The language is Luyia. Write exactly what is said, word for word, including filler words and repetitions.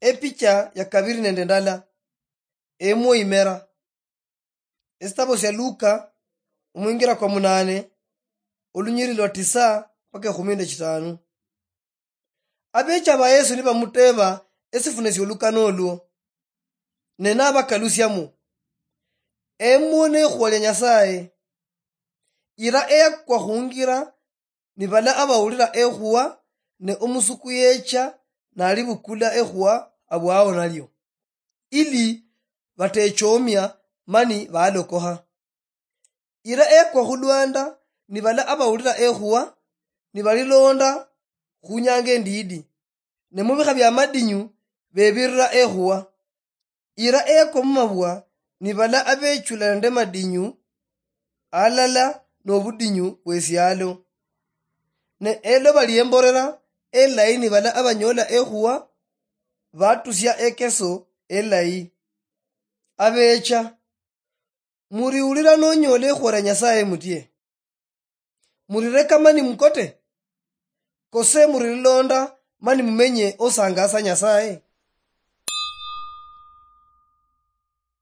Epicha ya kabiri nende ndala. Emwo imera. Esitabo sia Luka, omwingira kwa munane, olunyiri lwa tisa mpaka ekhumi nende chitanu. Abecha ba Yesu nibamuteba esifune siolukano olwo, ne nabakalusiamo, "Emwo nekhuwa lia Nyasaye." Ira eyakwa khungira, nibala abawulira ekhuwa, ne omusuku yecha nalibukula ekhuwa abwao nalio, ili batechomia mani balokoha. Ira ekwa khulwanda, nibala abawulira ekhuwa, nibalilonda khunyanga endidi, ne mubikha bia madinyu bebirira ekhuwa. Ira ekwa mumabwa, nibala abechula nende madinyu, alala nobudinyu bwesialo. Ne eloba liemborera elayi, nibala abanyola ekhuwa, batusia ekeso elayi. Abecha, muriwulira nonyola ekhuwa lia Nyasaye mutie? Murireka mani mukote? Kose murilonda mani mumenye osangasa Nyasaye?